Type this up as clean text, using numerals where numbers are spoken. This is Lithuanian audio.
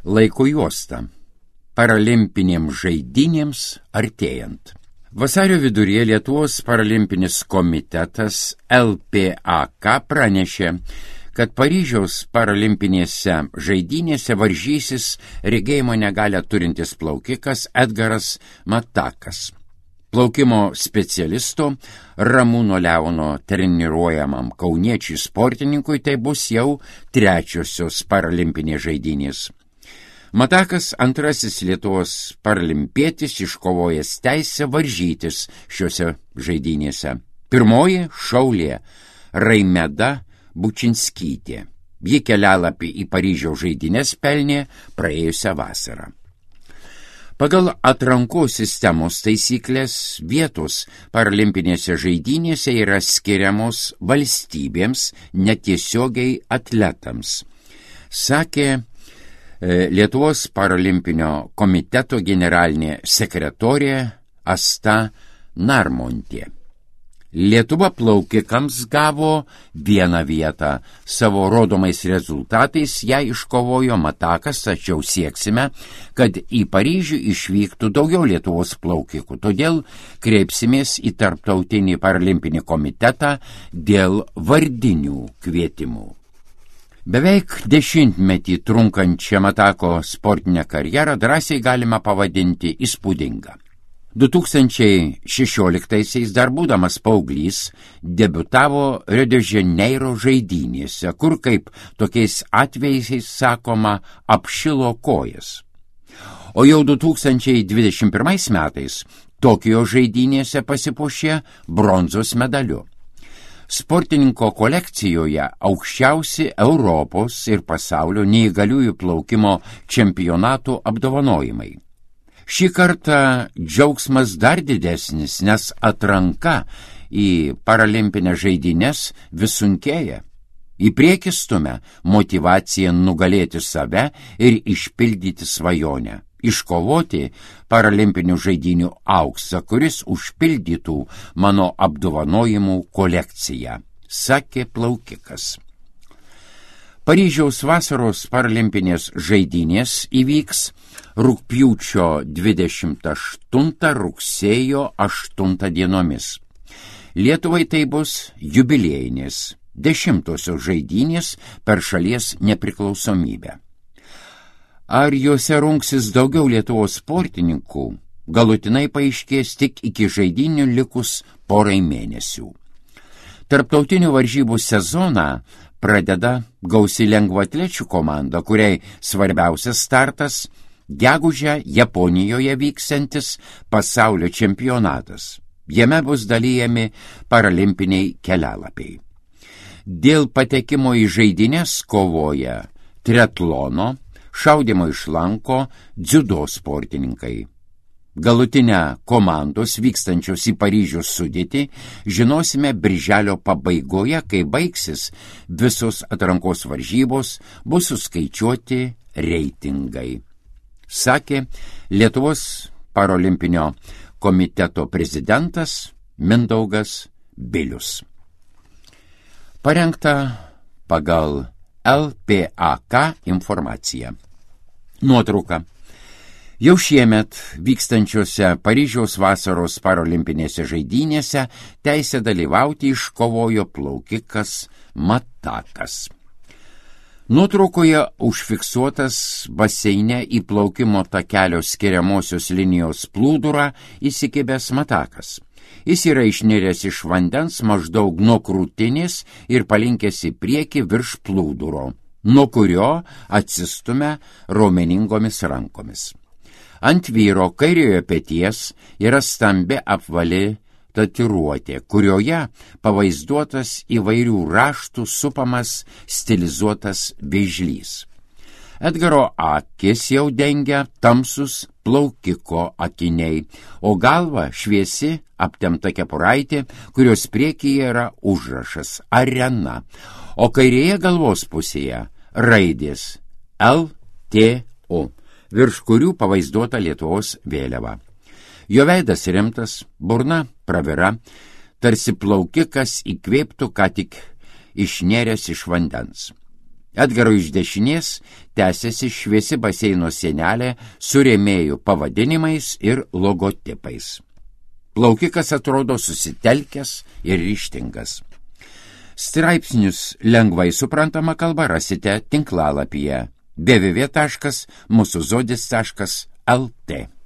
Laiko juosta. Paralimpinėms žaidynėms artėjant. Vasario viduryje Lietuvos paralimpinis komitetas LPAK pranešė, kad Paryžiaus paralimpinėse žaidynėse varžysis regėjimo negalią turintis plaukikas Edgaras Matakas. Plaukimo specialisto Ramūno Leono treniruojamam kauniečiui sportininkui tai bus jau trečiosios paralimpinės žaidynės. Matakas antrasis Lietuvos paralimpietis iškovojęs teisę varžytis šiuose žaidynėse. Pirmoji šaulė Raimeda Bučinskytė. Ji kelialapį į Paryžiaus žaidynes pelnė praėjusią vasarą. Pagal atrankos sistemos taisyklės vietos paralimpinėse žaidynėse yra skiriamos valstybėms, netiesiogiai atletams, sakė Lietuvos paralimpinio komiteto generalinė sekretorė Asta Narmontė. Lietuva plaukikams gavo vieną vietą. Savo rodomais rezultatais ją iškovojo Matakas, tačiau sieksime, kad į Paryžių išvyktų daugiau Lietuvos plaukikų. Todėl kreipsimės į Tarptautinį paralimpinį komitetą dėl vardinių kvietimų. Beveik 10-metį trunkančią Matako sportinę karjerą drąsiai galima pavadinti įspūdinga. 2016-aisiais dar būdamas paauglys debiutavo Rio de Janeiro žaidynėse, kur, kaip tokiais atvejais sakoma, apšilo kojas. O jau 2021 metais Tokijo žaidynėse pasipuošė bronzos medaliu. Sportininko kolekcijoje aukščiausi Europos ir pasaulio neįgaliųjų plaukimo čempionatų apdovanojimai. Šį kartą džiaugsmas dar didesnis, nes atranka į paralimpinės žaidynes vis sunkėja. Į priekį stumia motyvacija nugalėti save ir išpildyti svajonę, iškovoti paralimpinių žaidynių auksą, kuris užpildytų mano apdovanojimų kolekciją, sakė plaukikas. Paryžiaus vasaros paralimpinės žaidynės įvyks rugpjūčio 28 rugsėjo 8 dienomis. Lietuvai tai bus jubiliejinės 10-osios žaidynės per šalies nepriklausomybę. Ar juose rungsis daugiau Lietuvos sportininkų, galutinai paaiškės tik iki žaidynių likus porai mėnesių. Tarptautinių varžybų sezoną pradeda gausi lengvaatlečių komanda, kuriai svarbiausias startas gegužę Japonijoje vyksiantis pasaulio čempionatas. Jame bus dalyjami paralimpiniai kelialapiai. Dėl patekimo į žaidynes kovoja triatlono, šaudymo iš lanko, dziudo sportininkai. Galutinę komandos vykstančios į Paryžių sudėtį žinosime birželio pabaigoje, kai baigsis visos atrankos varžybos, bus suskaičiuoti reitingai, sakė Lietuvos paralimpinio komiteto prezidentas Mindaugas Bilius. Parengta pagal LPAK informaciją. Nuotrauka. Jau šiemet vykstančiose Paryžiaus vasaros paralimpinėse žaidynėse teisę dalyvauti iškovojo plaukikas Matakas. Nuotraukoje užfiksuotas baseine į plaukimo takelio skiriamosios linijos plūdurą įsikibęs Matakas. Jis yra išniręs iš vandens maždaug nuo krūtinės ir palinkęs į priekį virš plūduro, nuo kurio atsistumia raumeningomis rankomis. Ant vyro kairiojo peties yra stambi apvali tatuiruotė, kurioje pavaizduotas įvairių raštų supamas stilizuotas vėžlys. Edgaro akis jau dengia tamsus plaukiko akiniai, o galva šviesi aptempta kepuraitė, kurios priekyje yra užrašas Arena, o kairėje galvos pusėje raidės LTO, virš kurių pavaizduota Lietuvos vėliava. Jo veidas rimtas, burna pravira, tarsi plaukikas įkvėptų ką tik išnėręs iš vandens. Edgaro iš dešinės tęsiasi šviesi baseino sienelė su rėmėjų pavadinimais ir logotipais. Plaukikas atrodo susitelkęs ir ryžtingas. Straipsnius lengvai suprantama kalba rasite tinklalapyje www.musuzodis.lt.